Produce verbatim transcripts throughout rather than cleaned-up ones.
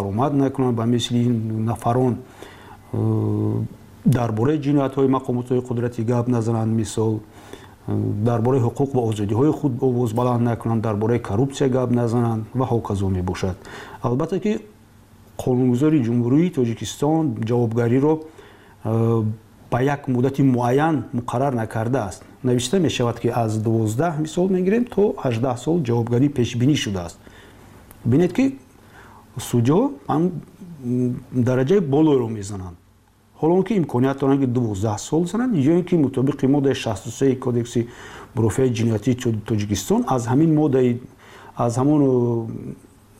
Баромад накунанд, ба мисли ин нафарон дар бораи ҷиноятҳои мақомотҳои қудратӣ гап назананд, мисол дар бораи ҳуқуқ ва озодиҳои худ овоз баланд накунанд, дар бораи коррупсия гап назананд ва ҳоказо мебошад. Албатта ки қонунгузори Ҷумҳурии Тоҷикистон ҷавобгариро ба як муддати муайян муқаррар накардааст. Навишта мешавад, ки аз дувоздаҳ мисол мегирем то ҳаждаҳ сол ҷавобгарӣ пешбинӣ шудааст. Бинед, ки судё ҳам дараҷаи болоеро мезананд, ҳоло он ки имконият доранд, ки дувоздаҳ сол зананд, ё ин ки мутобиқи моддаи шасту сеи Кодекси мурофиаи ҷиноятии Тоҷикистон аз ҳамин моддаи, аз ҳамон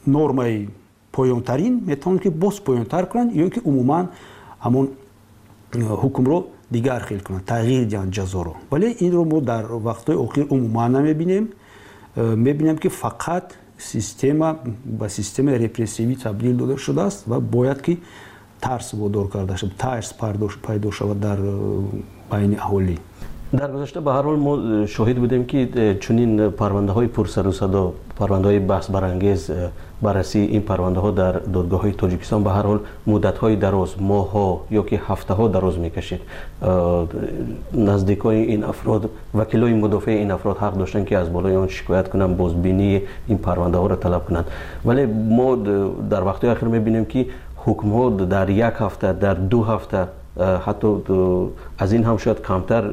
нормаи поёнтарин метавонанд, ки боз поёнтар кунанд, ё ин ки умуман ҳамон ҳукмро дигар хел кунанд, тағйир диҳанд ҷазоро. Вале инро мо дар вақтҳои охир умуман намебинем. Мебинем, ки фақат система ба системаи репрессивӣ табдил дода шудааст ва бояд ки тарс водор карда шавад, тарс пайдо шавад дар байни аҳолӣ. Дар гузашта ба ҳар ҳол мо шоҳид будем, ки чунин парвандаҳои пурсару садо, парвандаҳои баҳсбарангез, баррасии ин парвандаҳо дар додгоҳҳои Тоҷикистон ба ҳар ҳол муддатҳои дароз, моҳҳо ё ки ҳафтаҳо дароз мекашид. Наздикони ин афрод, вакилои мудофеи ин афрод ҳақ доштанд, ки аз болои он шикоят кунанд, бозбинии ин парвандаҳоро талаб кунанд. Вале мо дар вақтҳои ахир мебинем, ки ҳукмҳо дар як ҳафта, дар ду ҳафта, ҳатто аз ин ҳам шояд камтар,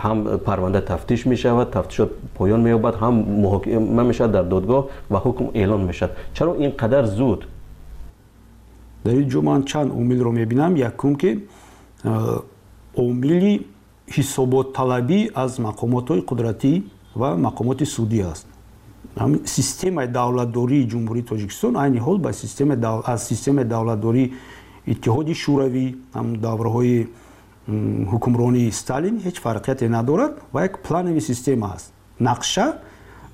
ҳам парванда тафтиш мешавад, тафтишот поён меёбад, ҳам муҳокима мешавад дар додгоҳ ва ҳукм эълон мешавад. Чаро ин қадар зуд? Дар ин ҷо ман чанд омилро мебинам. Якум, ки омили ҳисоботталабӣ аз мақомотҳои қудратӣ ва мақомоти судӣ аст. Системаи давлатдории Ҷумҳурии Тоҷикистон айни ҳол ба системаи аз системаи давлатдории Иттиҳоди Шӯравӣ, ҳам давраҳои ҳукмронии Сталин ҳеҷ фарқияте надорад ва як плановый система аст. Нақша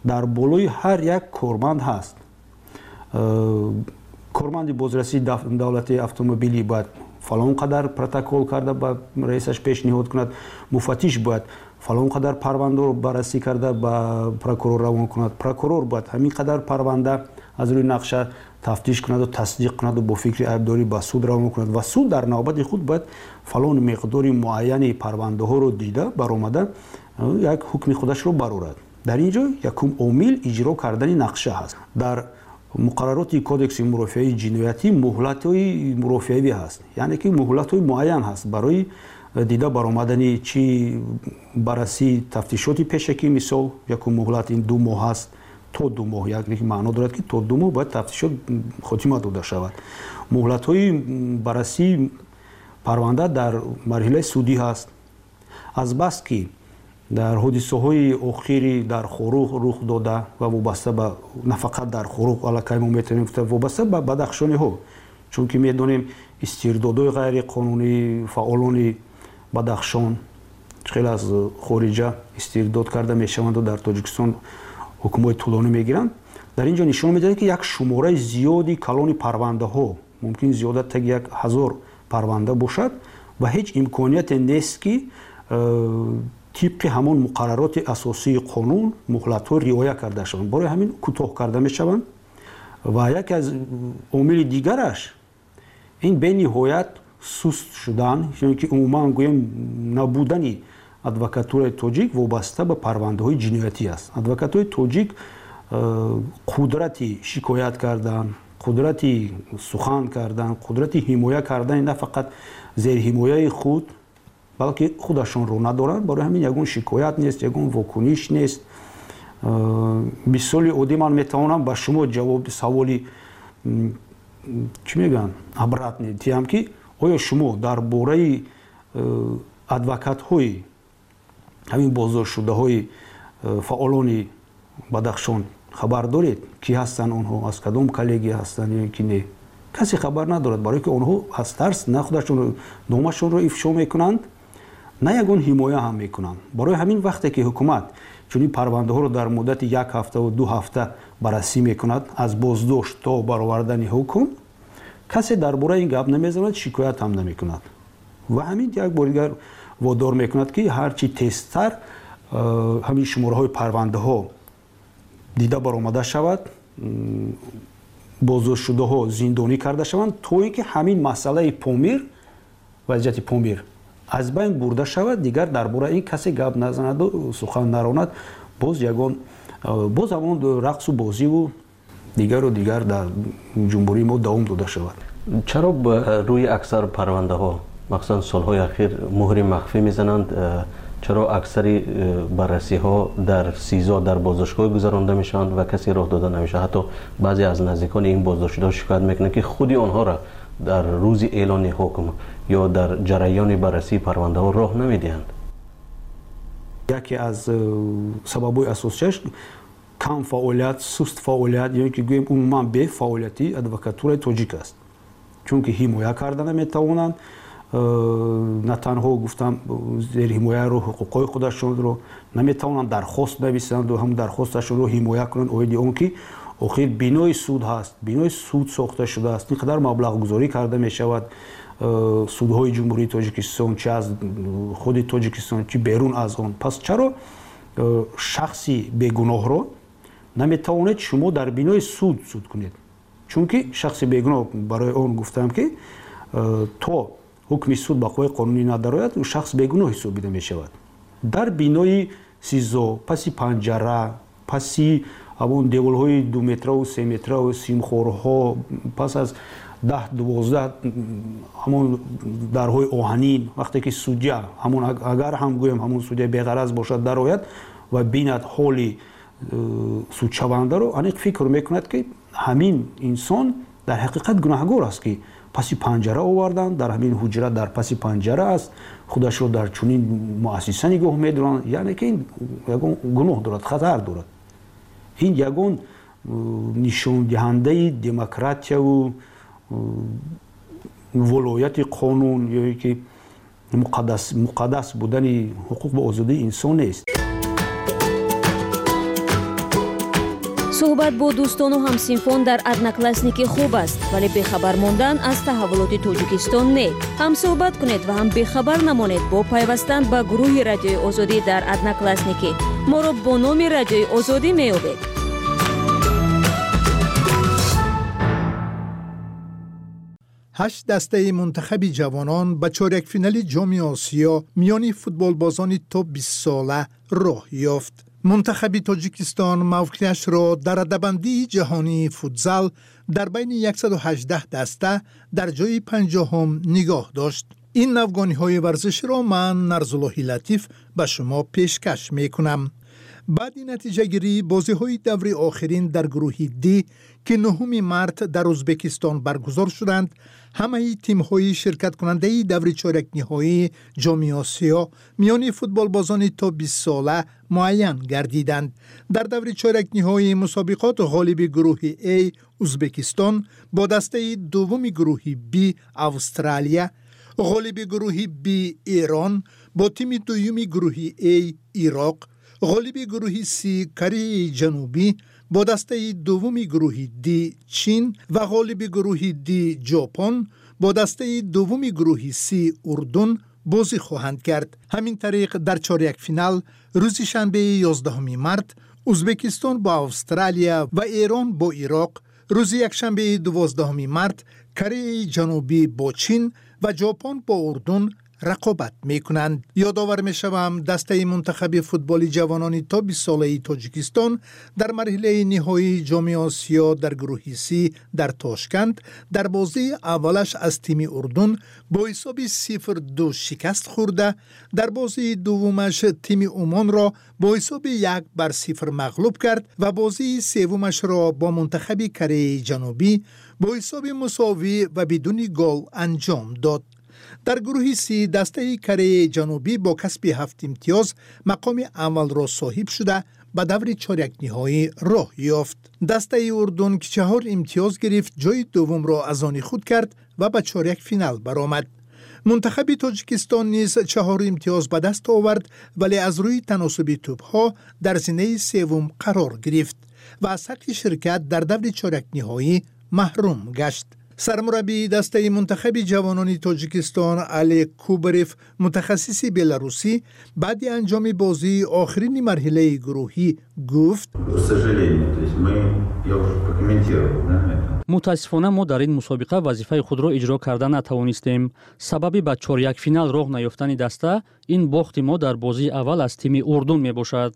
дар болои ҳар як корманд ҳаст. Корманди бозрасии давлатии автомобилӣ бояд фалон қадар протокол карда ба раисаш пешниҳод кунад, муфаттиш бояд фалон қадар парвандаро баррасӣ карда ба прокурор равон кунад, прокурор бояд ҳамин қадар парванда аз рӯи нақша тафтиш кунаду тасдиқ кунаду бо фикри айбдорӣ ба суд равон кунад ва суд дар навбати худ бояд фалон миқдори муайяни парвандаҳоро дида баромада як ҳукми худашро барорад. Дар ин ҷо якум омил иҷро кардани нақша ҳаст. Дар муқаррароти Кодекси мурофиаи ҷиноятӣ муҳлатҳои мурофиавӣ ҳаст, яъне ки муҳлатҳои муайян ҳаст барои дида баромадани чи баррасии тафтишоти пешакӣ. Мисол, якум муҳлат ин ду моҳ ҳаст, то ду моҳ, яъне ки маъно дорад, ки то ду моҳ бояд тафтишот хотима дода шавад. Муҳлатҳои баррасии парванда дар марҳилаи судӣ ҳаст. Азбаски дар ҳодисаҳои охири дар Хоруғ рух дода ва вобаста ба, на фақат дар Хоруғ, аллакай мо метавонем гуфта, вобаста ба бадахшониҳо, чунки медонем истирдодҳои ғайриқонунии фаъолони Бадахшон хеле аз хориҷа истирдод карда мешаванду дар Тоҷикистон ҳукмҳои тӯлонӣ мегиранд, дар ин ҷо нишон медиҳад, ки як шумораи зиёди калони парвандаҳо, мумкин зиёда таги як ҳазор парванда бошад ва ҳеҷ имконияте нест, ки э, тибқи ҳамон муқаррароти асосии қонун муҳлатҳо риоя карда шаванд. Барои ҳамин кӯтоҳ карда мешаванд. Ва яке аз омили дигараш ин бениҳоят суст шудан ё ки умуман гӯем набудани адвокатураи тоҷик вобаста ба парвандаҳои ҷиноятӣ аст. Адвокатҳои тоҷик э, қудрати шикоят кардан, қудрати сухан кардан, қудрати ҳимоя кардани на фақат зерҳимояи худ, балки худашонро надоранд. Барои ҳамин ягон шикоят нест, ягон вокуниш нест. э, мисоли оддӣ, ман метавонам ба шумо ҷавоби саволи, чӣ мегӯянд, обратный диҳам, ки оё шумо дар бораи э, адвокатҳои ҳамин боздоштшудаҳои э, фаъолони Бадахшон хабар доред? Кӣ ҳастанд онҳо, аз кадом коллегия ҳастанд ё ки не? Касе хабар надорад, барое ки онҳо аз тарс на худашон номашонро ифшо мекунанд, на ягон ҳимоя ҳам мекунанд. Барои ҳамин вақте ки ҳукумат чунин парвандаҳоро дар муддати як ҳафтаву ду ҳафта баррасӣ мекунад, аз боздошт то баровардани ҳукм, касе дар бораи ин гап намезанад, шикоят ҳам намекунад ва ҳамин як бори дигар водор мекунад, ки ҳарчи тезтар э, ҳамин шумораҳои парвандаҳо дида баромада шавад. Боздоштшудаҳо зиндонӣ карда шаванд, то ин ки ҳамин масъалаи Помир, вазъияти Помир аз байн бурда шавад. Дигар дар бораи ин касе гап назанаду сухан наронад. Боз ягон, боз ҳамон рақсу бозиву дигару дигар дар ҷумҳурии мо давом дода шавад. Чаро рӯи аксар парвандаҳо, махсусан солҳои ахир, муҳри махфӣ мезананд? Чаро аксари баррасиҳо дар СИЗО, дар боздоштгоҳ гузаронда мешаванд ва касе роҳ дода намешавад? Ҳатто баъзе аз наздикони ин боздоштшудаҳо шикоят мекунанд, ки худи онҳоро дар рӯзи эълони ҳукм ё дар ҷараёни баррасии парвандаҳо роҳ намедиҳанд. Яке аз сабабҳои асосияш кам фаъолият, суст фаъолият ё ки гӯем умуман бефаъолияти адвокатураи тоҷик аст, чунки ҳимоя карда наметавонанд. На танҳо, гуфтам, зерҳимояро, ҳуқуқҳои худашонро наметавонанд дархост нависанду ҳам дархосташонро ҳимоя кунанд, оиди он ки охир бинои суд ҳаст, бинои суд сохта шудааст, ин қадар маблағгузорӣ карда мешавад. Судҳои Ҷумҳурии Тоҷикистон, чи аз худи Тоҷикистон, чи берун аз он, пас чаро шахси бегуноҳро наметавонед шумо дар бинои суд суд кунед? Чунки шахси бегуноҳ, барои он гуфтам, ки то ҳукми суд ба қувваи қонунӣ надарояд, шахс бегуноҳ ҳисобида мешавад. Дар бинои СИЗО, паси панҷара, паси ҳамон деволҳои думетраву семетраву симхорҳо, пас аз даҳ дувоздаҳ ҳамон дарҳои оҳанин, вақте ки судя ҳамон, агар ҳам гӯем, ҳамон судя беғараз бошад, дарояд ва бинад ҳоли э, судшавандаро, аниқ фикр мекунад, ки ҳамин инсон дар ҳақиқат гунаҳгор аст, ки паси панҷара оварданд, дар ҳамин ҳуҷра дар паси панҷара аст, худашро дар чунин муассиса нигоҳ медоранд, яъне ки ин ягон гуноҳ дорад, хатар дорад. Ин ягон э, нишондиҳандаи демократияву э, волояти қонун ё ки муқаддас будани ҳуқуқ ва озодии инсон нест. Суҳбат бо дӯстону ҳамсинфон дар Одноклассники хуб аст, вале бехабар мондан аз таҳаввулоти Тоҷикистон не. Ҳам суҳбат кунед ва ҳам бехабар намонед бо пайвастан ба гурӯҳи Радиои Озодӣ дар Одноклассники. Моро бо номи Радиои Озодӣ меёбед. Ҳашт дастаи мунтахаби ҷавонон ба чорякфинали Ҷоми Осиё миёни футболбозони то бистсола роҳ ёфт. Мунтахаби Тоҷикистон мавқеашро дар радабандии ҷаҳонии футзал дар байни яксаду ҳаждаҳ даста дар ҷои панҷоҳум нигоҳ дошт. Ин навгониҳои варзиширо ман, Нарзуллоҳи Латиф, ба шумо пешкаш мекунам. Баъди натиҷагирии бозиҳои даври охирин дар гурӯҳи Д, ки нуҳуми март дар Ӯзбекистон баргузор шуданд, ҳамаи тимҳои ширкаткунандаи даври чорякниҳоии Ҷоми Осиё миёни футболбозони то бистсола муайян гардиданд. Дар даври чорякниҳоии мусобиқот ғолиби гурӯҳи А, Ӯзбекистон, бо дастаи дуввуми гурӯҳи Б, Австралия, ғолиби гурӯҳи Б, Эрон, бо тими дуюми гурӯҳи А, Ироқ, ғолиби гурӯҳи С, Кореяи Ҷанубӣ, бо дастаи дуввуми гурӯҳи Д, Чин, ва ғолиби гурӯҳи Д, Ҷопон, бо дастаи дуввуми гурӯҳи С, Урдун бозӣ хоҳанд кард. Ҳамин тариқ, дар чорякфинал рӯзи шанбеи ёздаҳуми март Ӯзбекистон бо Австралия ва Эрон бо Ироқ, рӯзи якшанбеи дувоздаҳуми март Кореяи Ҷанубӣ бо Чин ва Ҷопон бо Урдун рақобат мекунанд. Ёдовар мешавам, дастаи мунтахаби футболи ҷавонони то бистсолаи Тоҷикистон дар марҳилаи ниҳоии Ҷоми Осиё дар гурӯҳи С дар Тошканд дар бозии аввалаш аз тими Урдун бо ҳисоби сифр ду шикаст хӯрда, дар бозии дуввумаш тими Умонро бо ҳисоби як бар сифр мағлуб кард ва бозии севумашро бо мунтахаби Кореяи Ҷанубӣ бо ҳисоби мусовӣ ва бидуни гол анҷом дод. Дар гурӯҳи С дастаи Кореяи Ҷанубӣ бо касби ҳафт имтиёз мақоми аввалро соҳиб шуда, ба даври чорякниҳоӣ роҳ ёфт. Дастаи Урдун, ки чаҳор имтиёз гирифт, ҷои дуввумро аз они худ кард ва ба чорякфинал баромад. Мунтахаби Тоҷикистон низ чаҳор имтиёз ба даст овард, вале аз рӯи таносуби тӯбҳо дар зинаи севум қарор гирифт ва аз ҳаққи ширкат дар даври чорякниҳоӣ маҳрум гашт. Сармураббии дастаи мунтахаби ҷавонони Тоҷикистон Олег Кубарев, мутахассиси беларусӣ, баъди анҷоми бозии охирини марҳилаи гурӯҳӣ гуфт: К сожалению, то есть мы, я уже прокомментировал, да, это. Мутаассифона, мо дар ин мусобиқа вазифаи худро иҷро карда натавонистем. Сабаби ба чорякфинал роҳ наёфтани даста ин бохти мо дар бозии аввал аз тими Урдун мебошад.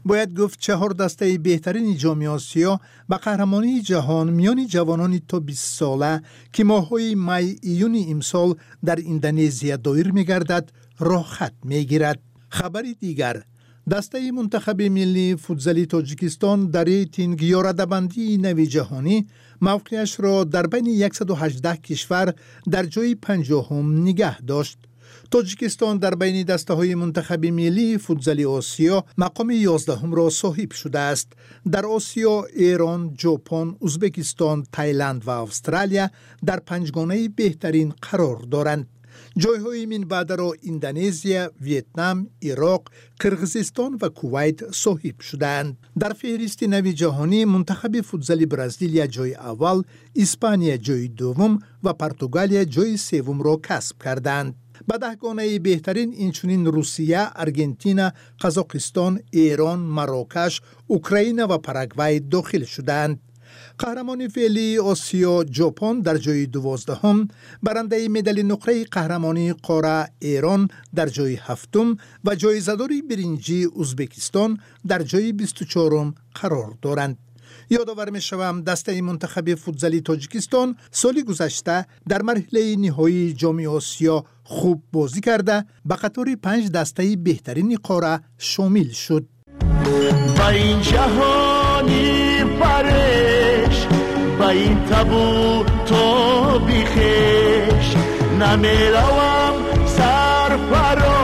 Бояд гуфт, чаҳор дастаи беҳтарини Ҷоми Осиё ба қаҳрамонии ҷаҳон миёни ҷавонони то бистсола, ки моҳҳои май июни имсол дар Индонезия доир мегардад, роҳхат мегирад. Хабари дигар: дастаи мунтахаби миллии футзали Тоҷикистон дар рейтинг ё радабандии нави ҷаҳонӣ мавқеашро дар байни яксаду ҳаждаҳ кишвар дар ҷои панҷоҳум нигаҳ дошт. Тоҷикистон дар байни дастаҳои мунтахаби миллии футзали Осиё мақоми ёздаҳумро соҳиб шудааст. Дар Осиё Эрон, Ҷопон, Узбекистон, Тайланд ва Австралия дар панҷгонаи беҳтарин қарор доранд. Ҷойҳои минбаъдаро Индонезия, Вьетнам, Ироқ, Қирғизистон ва Кувайт соҳиб шудаанд. Дар феҳристи нави ҷаҳонӣ мунтахаби футзали Бразилия ҷои аввал, Испания ҷои дуввум ва Португалия ҷои севумро касб карданд. Ба даҳгонаи беҳтарин инчунин Русия, Аргентина, Қазоқистон, Эрон, Марокаш, Украина ва Парагвай дохил шудаанд. Қаҳрамони феълии Осиё Ҷопон дар ҷои дувоздаҳум, барандаи медали нуқраи қаҳрамонии қора Эрон дар ҷои ҳафтум ва ҷоизадори биринҷии Узбекистон дар ҷои бисту чорум қарор доранд. Ёдовар мешавам, дастаи мунтахаби футзали Тоҷикистон соли гузашта дар марҳилаи ниҳоии Ҷоми Осиё хуб бозӣ карда, ба қатори панҷ дастаи беҳтарини қора шомил шуд. Ба ин ҷаҳони фареш, ба ин табу тоби хеш, намеравам сарфаро,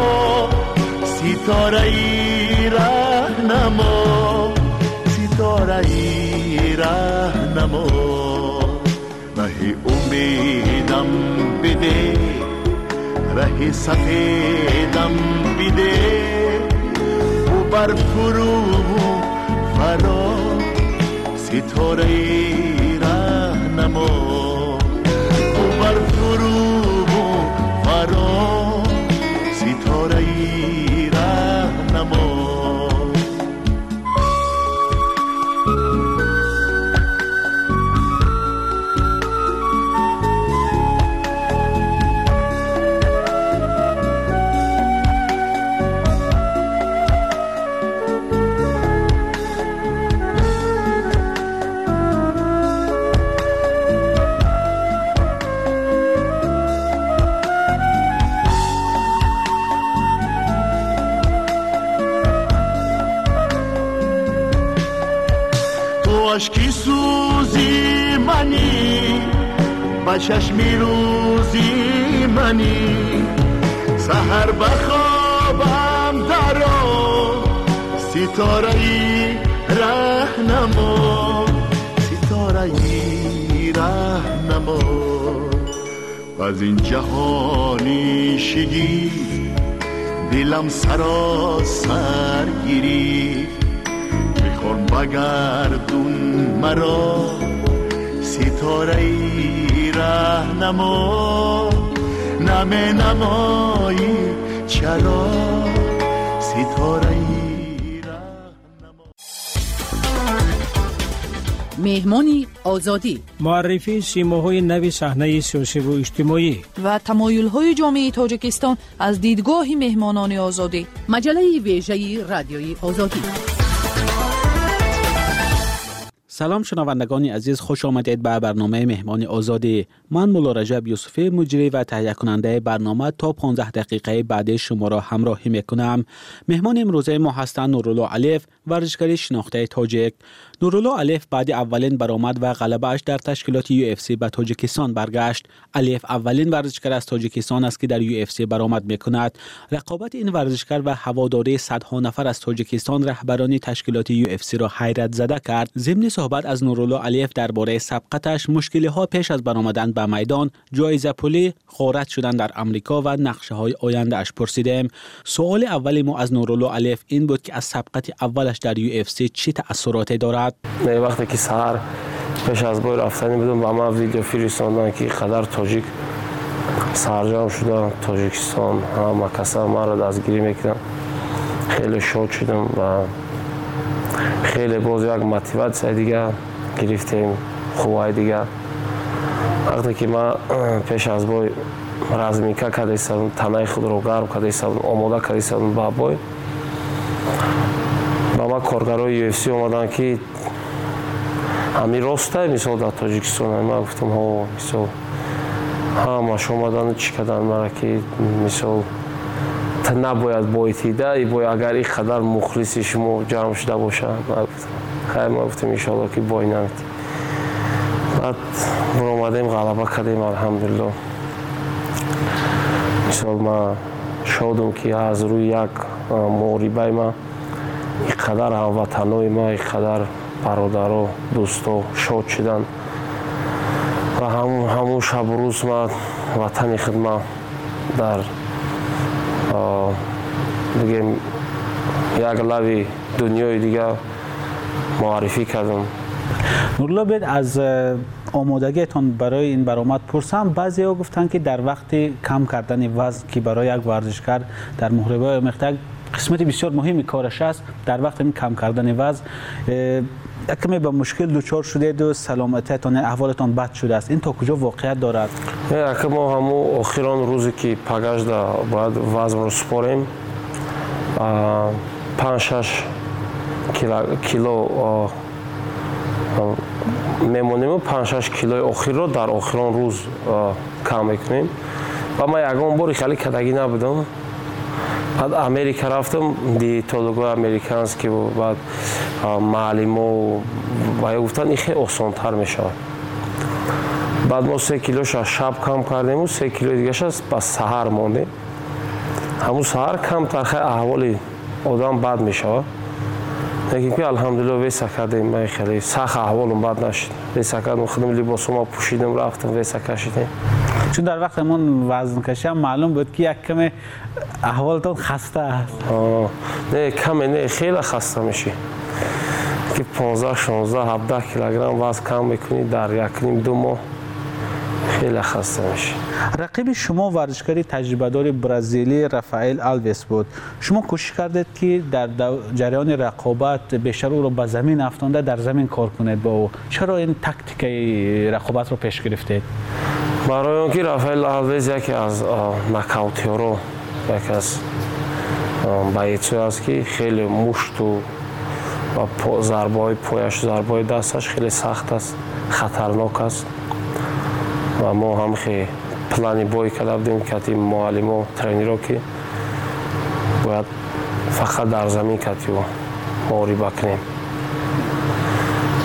ситораи раҳнамо, ситораи раҳнамо. Раҳи умедам биде, раҳи сафедам биде, бар фурӯ фаро, ситораи раҳнамо, бар фурӯ фаро, ситораи раҳнамо. Ашки сӯзи манӣ, ба чашми рӯзи манӣ, саҳар ба хобам даро, ситораи раҳнамо, ситораи раҳнамо. Аз ин ҷаҳони шигифт дилам саросар гирифт, бихор багардун маро, ситораи раҳнамо, наменамоӣ чаро, ситораи раҳнамо. Меҳмони Озодӣ: муаррифии симоҳои нави саҳнаи сиёсиву иҷтимоӣ ва тамоюлҳои ҷомеаи Тоҷикистон аз дидгоҳи меҳмонони Озодӣ. Маҷаллаи вежаи Радиои Озодӣ. Салом шунавандагони азиз, хуш омадед ба барномаи Меҳмони Озодӣ. Ман Мулло Раҷаб Юсуфӣ, муҷрӣ ва таҳиякунандаи барнома, то понздаҳ дақиқаи баъди шуморо ҳамроҳӣ мекунам. Меҳмони имрӯзаи мо ҳастанд Нурулло Алиев, варзишгари шинохтаи тоҷик. Нурулло Алиев баъди аввалин баромад ва ғалабааш дар ташкилоти ю эф си ба Тоҷикистон баргашт. Алиев аввалин варзишгар аз Тоҷикистон аст, ки дар ю эф си баромад мекунад. Рақобати ин варзишгар ва ҳаводории садҳо нафар аз Тоҷикистон раҳбарони ташкилоти ю эф си-ро ҳайратзада кард. Зимни суҳбат аз Нурулло Алиев дар бораи сабқаташ, мушкилиҳо пеш аз баромадан ба майдон, ҷоизапулӣ, ғорат шудан дар Амрико ва нақшаҳои ояндааш пурсидем. Суоли аввали мо аз Нурулло Алиев ин буд, ки аз сабқати аввалаш дар ю эф си чӣ таъссуроте дорад. Вақте ки саҳар пеш аз бой рафтанӣ будам, ба ман видео фиристоданд, ки қадар тоҷик сарҷамъ шуда, Тоҷикистон ҳама каса маро дастгирӣ мекунанд. Хеле шод шудам ва Хеле боз як мотиватсияи дига гирифтем, қувваи дига. Вақте ки ман пеш аз бой разминка карда истодам, танаи худро гарм карда истодам, омода карда истодам ба бой, ба ман коргарои ю эф си омаданд ки ҳамин ростай, мисол дар Тоҷикистон. Ман гуфтам ҳо, мисол ҳамаш омадану чӣ карданд мара ки мисол та набояд бойтида, бой агар ин қадар мухлиси шумо ҷамъ шуда бошанд. Ман гуфтам хайр, ман гуфтам иншоалло ки бой наметӣ. Баъд баромадем, ғалаба кардем, алҳамдулилло. Мисол ман шодам ки аз рӯи як муҳорибаи ман ин қадар ҳамватанои ман, ин қадар бародаро, дӯсто шод шуданд ва ҳамун шабу рӯз ман ватани худ ман дар бигем як лави дунёи дига муаррифӣ кардам. Нурулло, биёед аз омодагиатон барои ин баромад пурсам. Баъзеҳо гуфтанд ки дар вақти кам кардани вазн, ки барои як варзишкар дар муҳорибаҳои омехта як қисмати бисёр муҳими кораш аст, дар вақти кам кардани вазн як каме ба мушкил дучор шудед ва саломатиатон, аҳволатон бад шудааст. Ин то куҷо воқеият дорад? Ака, мо ҳамун охирон рӯзе ки пагажда бояд вазнро супорем, панҷ шаш кило мемонему панҷ шаш килои охирро дар охирон рӯз кам мекунем. Ва ман ягон бори хеле кадагӣ набудам. Баъд Америка рафтам, диетологои американский, баъд маълимо ва гуфтанд ин хеле осонтар мешавад. Баъд мо се килоша шаб кам кардему, се килои дигаша ба саҳар мондем. Ҳамун саҳар камтар хеле аҳволи одам бад мешавад. Лекин ки алҳамдулилло веса кардем, ман хеле сахт аҳволам бад нашуд. Веса кардам, худам либосома пӯшидам, рафтам, веса кашидем. Чун дар вақти ҳамон вазнкашӣ ҳам маълум буд ки як каме аҳволатон хаста аст. Не, каме не, хеле хаста мешӣ. Ки понздаҳ, шонздаҳ, ҳабдаҳ килограмм вазн кам мекунӣ дар як ним ду моҳ, хеле хаста мешӣ. Рақиби шумо варзишгари таҷрибадори бразилӣ Рафаэл Алвес буд. Шумо кӯшиш кардед ки дар ҷараёни рақобат бештар ӯро ба замин афтонда дар замин кор кунед бо ӯ. Чаро ин тактикаи рақобатро пеш гирифтед? Барои он ки Рафаэл Алвес яке аз нокаутёро, яке аз боецое аст ки хеле мушту ва зарбаҳои пояш, зарбаҳои дасташ хеле сахт аст, хатарнок аст. Ва мо ҳам хеле плани бой карда будем, кати муаллимо, тренеро, ки бояд фақат дар замин кати ӯ муҳориба кунем.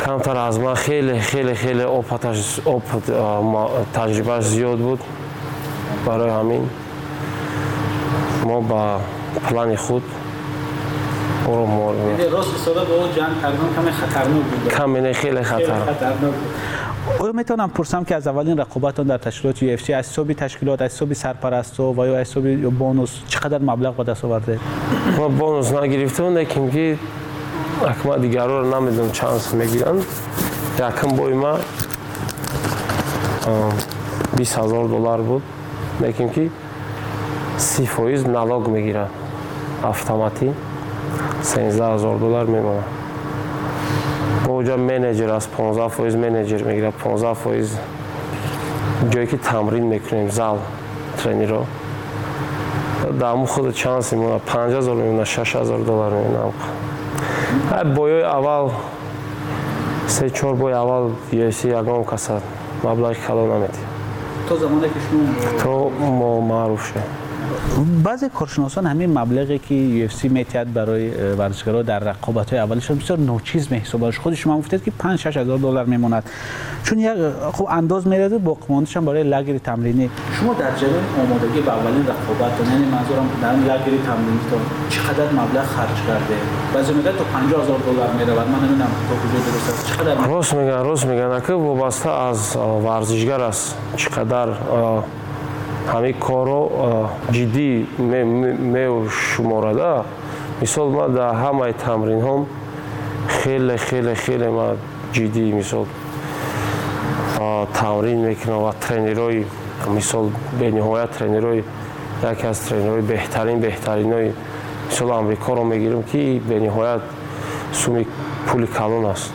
Камтар аз ман хеле хеле хеле опыташ, опыт, таҷрибааш зиёд буд. Барои ҳамин мо ба плани худ ӯро муҳориба. Рост истода бо ӯ ҷанг кардан каме хатарнок буд. Каме не, хеле хатарнок. Оё метавонам пурсам ки аз аввалин рақобатон дар ташкилоти ю эф си аз ҳисоби ташкилот, аз ҳисоби сарпарастҳо ва ё аз ҳисоби бонус чӣ қадар маблағ ба даст овардед? Ман бонус нагирифтам, лекин ки акма дигарро намедонам чанд сум мегиранд. Якум бои ман бист ҳазор доллар буд, лекин ки си фоиз налог мегиранд автоматӣ, сенздаҳ ҳазор доллар мемонад. Оҷа менеҷер аст, понздаҳ фоиз менеҷер мегирад, понздаҳ фоиз ҷое ки тамрин мекунем, зал, тренеро. Дар ҳамун худ чанд сум мемонад, панҷ ҳазор мемонад, шаш ҳазор доллар мемонад. Боёи аввал, се чор бои аввал ю эф си ягон каса маблағи калон наметиҳад. То замоне ки шумо то мо маъруф шудем. Баъзе коршиносон ҳамин маблағе ки ю эф си метиҳад барои варзишгарон дар рақобатҳои аввалишон бисёр ночиз меҳисобанд. Худи шумо гуфтед ки панҷ шаш ҳазор доллар мемонад. Чун як хуб андоз меравад боқимондаашам барои лагери тамринӣ. Шумо дар ҷараёни омодагӣ ба аввалин рақобатон, яъне манзурам дар лагери тамринитон чӣ қадар маблағ харҷ кардед? Баъзе мегӯянд то панҷоҳ ҳазор доллар меравад. Ман намедонам то куҷо дуруст аст. Чӣ қадар? Рост мегӯянд, рост мегӯянд. Ака вобаста аз варзишгар аст чӣ қадар ҳамин корро ҷиддӣ мешуморада. Мисол ман дар ҳамаи тамринҳом хеле хеле хеле ман ҷиддӣ мисол тамрин мекунам ва тренерои мисол бениҳоят тренерои яке аз тренерои беҳтарин беҳтаринои мисол Амрикоро мегирам ки бениҳоят суми пули калон аст.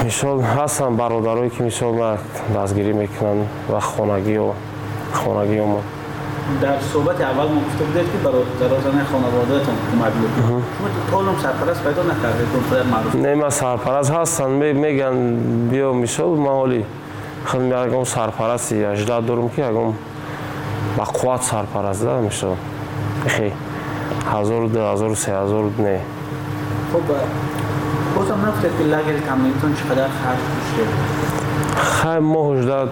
Мисол ҳастанд бародарое ки мисол ма дастгирӣ мекунанд ва хонагиё хонагиёмон. Дар суҳбати аввал мо гуфта будед ки бародарони хонаводаатон кӯмак мекунанд. Шумо то ҳол сарпараст пайдо накардед, он қадар маъруф? Не, ман сарпараст ҳастанд, мегӯянд биё мисол ман ҳоли худам ягон сарпарасти ажда дорам ки ягон ба қувват сарпараст да мисол. Хе ҳазор ду ҳазор се ҳазор не. Хуб, бозам нагуфтед ки лагери тамринтон чӣ қадар харҷ доштед? Хай мо ҳужда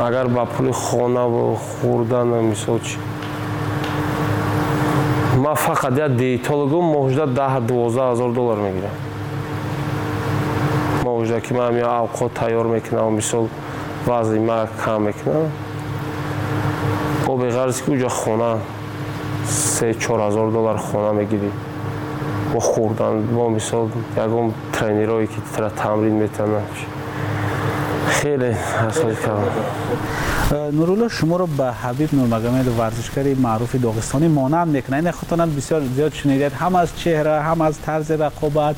агар ба пули хонаву хӯрдан мисол чи ман фақат як диетологум моҳужда даҳ дувоздаҳ ҳазор доллар мегирам. Моҳужда ки ман я авқот тайёр мекунам, мисол вазни ма кам мекунам. Бо беғарз ки уҷа хона се чор ҳазор доллар хона мегирӣ. Бо хӯрдан, бо мисол ягон тренерое ки тра тамрин метананд. Хеле асои калон. Нурулло шуморо ба Ҳабиб Нурмагомедов, варзишгари маъруфи доғистонӣ монанд мекунад. Ин худтонам бисёр зиёд шунидед, ҳам аз чеҳра, ҳам аз тарзи рақобат.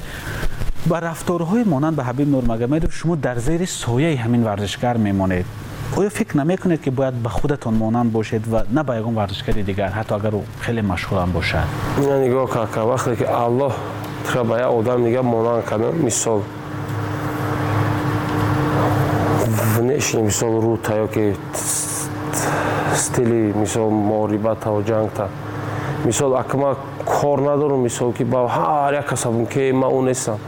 Ба рафторҳои монанд ба Ҳабиб Нурмагомедов шумо дар зери сояи ҳамин варзишгар мемонед. Оё фикр намекунед ки бояд ба худатон монанд бошед ва на ба ягон варзишгари дигар, ҳатто агар ӯ хеле машҳурам бошад? Ина нигоҳ кака, вақте ки Аллоҳ туро ба як одам дига монанд кардан, мисол внешний мисол рута ё ки стили мисол муҳорибата ҷангта. Мисол ака ман кор надорам мисол ки ба ҳар як касабум ки ман ӯ нестам.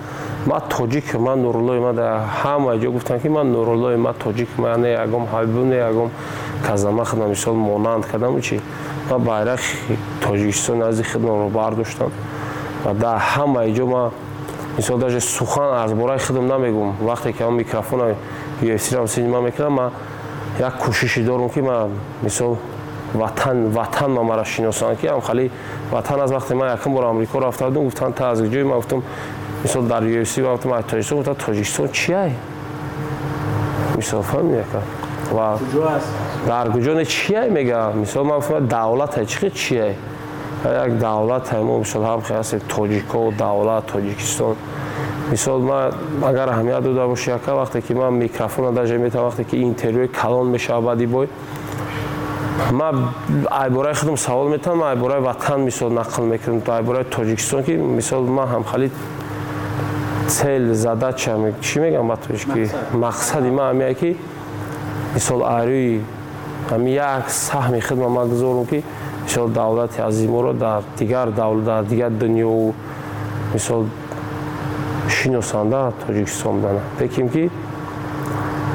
Ман тоҷик, ман Нуруллои, ман дар ҳама ҷо гуфтам ки ман Нуруллои, ман тоҷик, ман не ягом Ҳабибу, не ягом каза. Ман худам мисол монанд кардам чи ман байрақи Тоҷикистон назди худамро бардоштам ва дар ҳама ҷо ман мисол даже сухан аз бораи худам намегӯм. Вақте ки ҳам микрофона ю эф си-ро синима мекунам, ман як кӯшише дорам ки ман мисол ватан ватан ма маро шиносанд ки ҳам хали ватан аз вақте ман якум бор Амрико рафта будам, гуфтанд та аз ҷои ман гуфтам мисол дар ю эф си гуфтам аз Тоҷикистон, гуфтанд Тоҷикистон чи ай? Мисол фаҳмидӣ ака? Ва дар куҷо не чи ай мега? Мисол ман гуфтам давлат ай чи чи ай? Як давлат ай мо мисол ҳам ҳастем тоҷико, давлат Тоҷикистон. Мисол ман агар аҳамият дода бошӣ ака, вақте ки ман микрофона даже метавонам, вақте ки интервюи калон мешавад баъди бой, ман айбораи худам савол метавонам, ман айбораи ватан мисол нақл мекунам, айбораи Тоҷикистон ки мисол ман ҳам хали цель, задача, чӣ мегӯям ба тоҷикӣ? Мақсади ман ҳамия ки мисол арӯи ҳами як саҳми худам ман гузорам ки мисол давлати азиморо дар дигар давлат, дар дигар дунёву мисол шиносанда Тоҷикистон будана. Лекин ки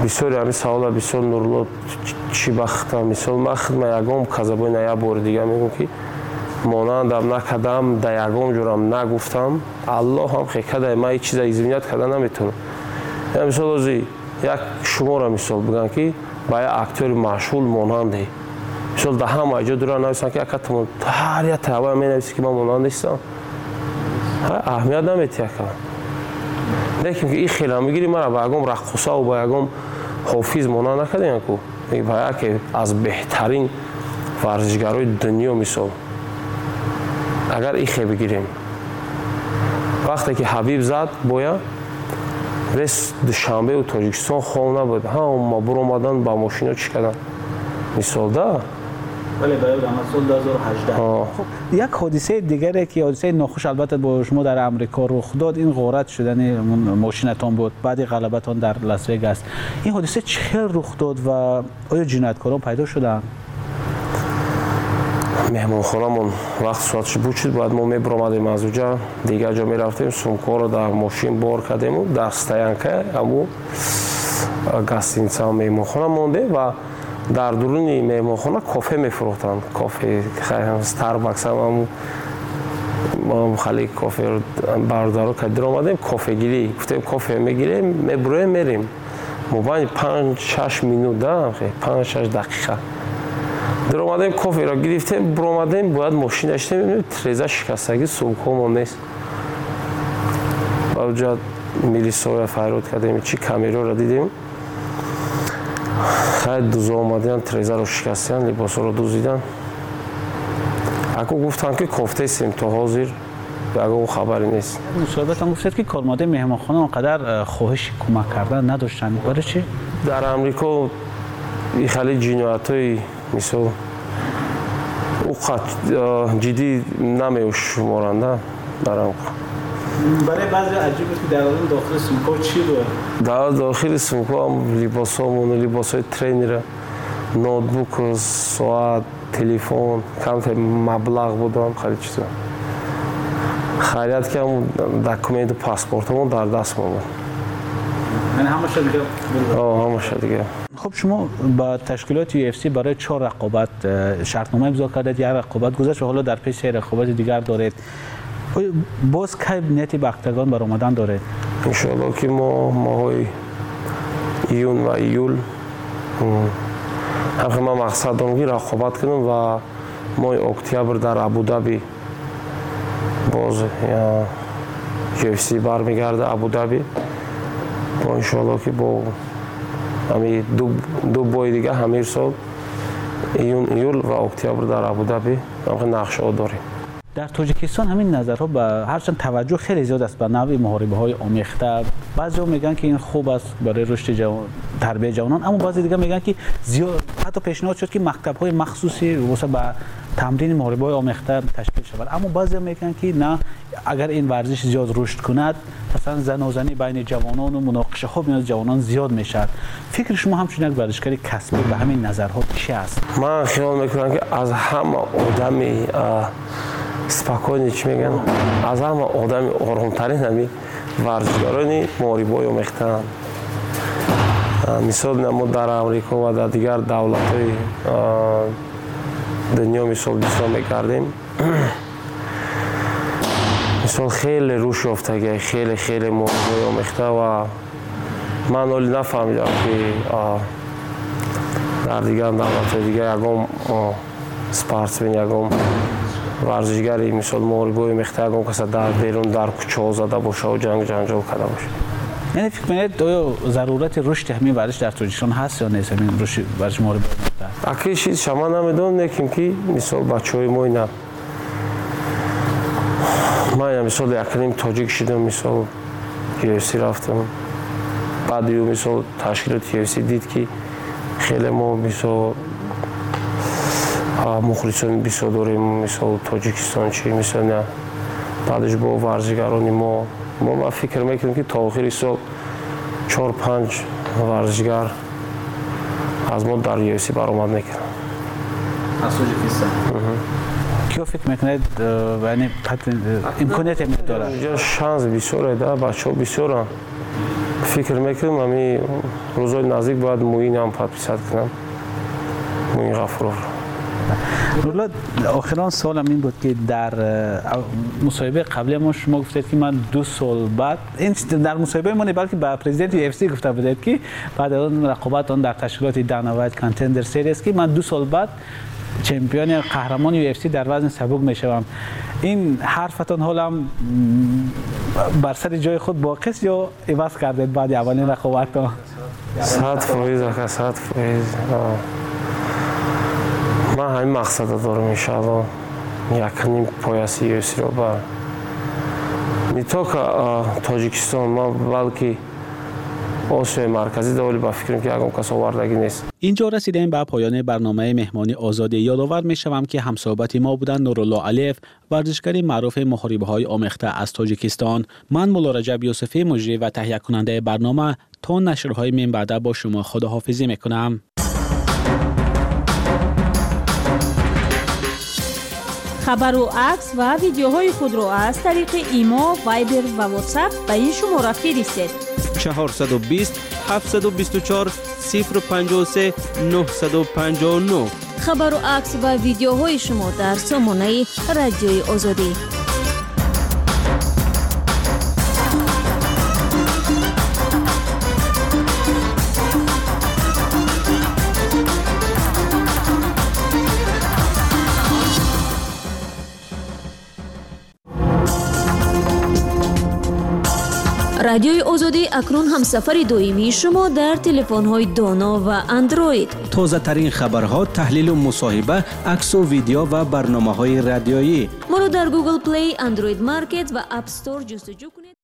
бисёри ҳамин савола бисёр Нурулло чӣ бахта, мисол ман худма ягон казабои на як бори дига мегӯм ки монандам накардам, да ягон ҷорам нагуфтам. Аллоҳ ҳам хе кадай, ман ҳеҷ чиза извинят карда наметавонам. Я мисол ози як шуморо мисол бигӯям ки ба як актёри машҳур монанде. Мисол да ҳама ҷо дура нависанд ки ака ту ҳар як таъва менависӣ ки ман монанд нестам. Аҳамият наметиҳӣ ака. Лекин ки ин хела мегирӣ мара ба ягон раққосаву ба ягон ҳофиз монанд накардем ку. Ба яке аз беҳтарин варзишгарои дунё мисол. Агар ин хе бигирем. Вақте ки Ҳабиб зад боя вес Душанбеу Тоҷикистон хом набуд. Ҳама буромадан ба мошино чӣ карданд? Мисол да? Бале, ба ёдам аз сол ду ҳазору ҳаждаҳ. Хуб, як ҳодисаи дигаре ки ҳодисаи нохуш албатта бо шумо дар Амрико рух дод, ин ғорат шудани мошинатон буд баъди ғалабатон дар Лас Вегас. Ин ҳодиса чӣ хел рух дод ва оё ҷинояткорон пайдо шуданд? Меҳмонхонамон вақт соатш буд шуд, бояд мо мебиромадем аз уҷа, дигар ҷо мерафтем, сумкаҳоро дар мошин бор кардему дар стоянка ҳаму гостиница меҳмонхона мондем ва дар дуруни меҳмонхона кофе мефурӯхтанд. Кофе Старбакс ҳам хали кофе бародаро ка диромадем, кофегирӣ гуфтем, кофе мегирем, мебуроем, мерем. Мобайни панҷ шаш минут да, панҷ шаш дақиқа диромадем, коферо гирифтем, буромадем, бояд мошина шидем, треза шикастагӣ, сумкаҳомон нест. Баъд милисоя фарёд кардем, чӣ камераро дидем. Хай дузо омадиян, трезаро шикастиян, либосҳоро дузидан. Аку гуфтанд ки кофтесем, то ҳозир ягон хабаре нест. Мусоҳибатон гуфтед ки кормандаи меҳмонхона он қадар хоҳиши кӯмак кардан надоштанд. Барои чӣ? Дар Амрико ин хеле ҷиноятҳои мисол ӯ қад ҷиддӣ намешуморанд дар Амрико. Барои баъзе аҷиб буд ки дар дохили сумка чӣ буд? Дар дохили сумка ҳам либосҳомон, либосҳои тренера, ноутбук, соат, телефон, камтар маблағ будам, хеле чизо. Хайрият ки ҳам документу паспортамон дар дастмон буд. Яъне ҳамаша дига буд? О, ҳамаша дига. Хуб, шумо ба ташкилоти ю эф си барои чор рақобат шартнома имзо кардед, як рақобат гузашт ва ҳоло дар пеш се рақобати дигар доред. Боз кай нияти ба октагон баромадан доред? Иншоалло ки мо моҳои июн ва июл ҳамхел ман мақсад дорам ки рақобат кунам ва моҳи октябр дар Абудаби боз ю эф си бармегарда Абудаби. Бо иншоалло ки бо ҳами ду бои дига ҳамир сол июн, июл ва октябр дар Абудаби ҳамхел нақшаҳо дорем. Дар Тоҷикистон ҳамин назарҳо ба ҳарчанд таваҷҷӯҳ хеле зиёд аст ба навъи муҳорибаҳои омехта. Баъзеҳо мегӯянд ки ин хуб аст барои рушди ҷавон, тарбияи ҷавонон, аммо баъзе дигар мегӯянд ки зиёд ҳатто пешниҳод шуд ки мактабҳои махсуси воса ба тамрини муҳорибаҳои омехта ташкил шавад. Аммо баъзеҳо мегӯянд ки на, агар ин варзиш зиёд рушд кунад, масалан занозанӣ байни ҷавонон ва муноқишаҳо миёни ҷавонон зиёд мешавад. Фикри шумо ҳамчун як варзишгари касбӣ ба ҳамин назарҳо чӣ аст? Ман хиёл мекунам ки аз ҳама одами спокойно чӣ мегӯянд, аз ҳама одами оромтарин ҳами варзишгарони муҳорибаҳои омехтаанд. Мисол мо дар Амрико ва дар дигар давлатҳои дунё мисол бисёр мекардем. Мисол хеле рушд ёфтагия, хеле хеле муҳорибаҳои омехта ва ман ҳоле нафаҳмидам ки дар дигар давлатҳои дигар ягон спортсмен, ягон варзишгари мисол муҳорибаҳои омехта ягон каса дар берун дар кӯчаҳо зада боша ва ҷанг ҷанҷол карда боша. Яъне фикр мекунед оё зарурати рушди ҳамин варзиш дар Тоҷикистон ҳаст ё нест, ҳамин рушди варзиши муҳорибаҳои омехта? Аки чиз шама намедонам, лекин ки мисол бачаҳои мо ина ман ина мисол якним тоҷик шидам, мисол ю эф си рафтам. Баъд ю мисол ташкилоти ю эф си дид ки хеле мо мисол мухлисон бисёр дорем, мисол Тоҷикистон чи мисол на баъдаш бо варзишгарони мо мо ман фикр мекунам ки то охири сол чор панҷ варзишгар аз мо дар ю эф си баромад мекунанд. Аз Тоҷикистон? Киё фикр мекунед, яъне имконият дорад? Инҷо шанс бисёре да, бачаҳо бисёранд. Фикр мекунам ҳами рӯзҳои наздик бояд Муин ҳам подписат кунам, Муин Ғафуров. Нурулло, охирон саволам ин буд ки дар мусоҳибаи қабли мо шумо гуфтед ки ман ду сол баъд, ин дар мусоҳибаи мо не, балки ба президенти ю эф си гуфта будед ки баъд аз он рақобат он дар ташкилоти Dana White Contender Series ки ман ду сол баъд чемпиони қаҳрамони ю эф си дар вазни сабук мешавам. Ин ҳарфатон ҳолам бар сари ҷои худ боқист ё иваз кардед баъди аввалин рақобатон? Сад фоиз ака, сад фоиз. Ман ҳамин мақсадро дорам иншаалло, якним пояси ю эф си-ро ба не только Тоҷикистон, ман балки Осиёи Марказӣ доволи ба фикрам ки ягон кас овардагӣ нест. Инҷо расидем ба поёни барномаи меҳмони озодӣ. Ёдовар мешавам ки ҳамсӯҳбати мо буданд Нурулло Алиев, варзишгари маъруфи муҳорибаҳои омехта аз Тоҷикистон. Ман Мулло Раҷаб Юсуфӣ, муҷрӣ ва таҳиякунандаи барнома, то нашрҳои минбаъда бо шумо худоҳофизӣ мекунам. Хабару акс ва видеоҳои худро аз тариқи имо, Вайбер ва WhatsApp ба ин шумора фиристед. чорсаду бист, ҳафтсаду бисту чор, сифр панҷоҳу се, нӯҳсаду панҷоҳу нӯҳ. Хабару акс ва видеоҳои шумо дар сомонаи Радиои Озодӣ. Радиои Озодӣ акнун ҳамсафари доимии шумо дар телефонҳои доно ва Андроид. Тозатарин хабарҳо, таҳлилу мусоҳиба, аксу видео ва барномаҳои радиоӣ. Моро дар Google Play, Android Market ва App Store ҷустуҷӯ кунед.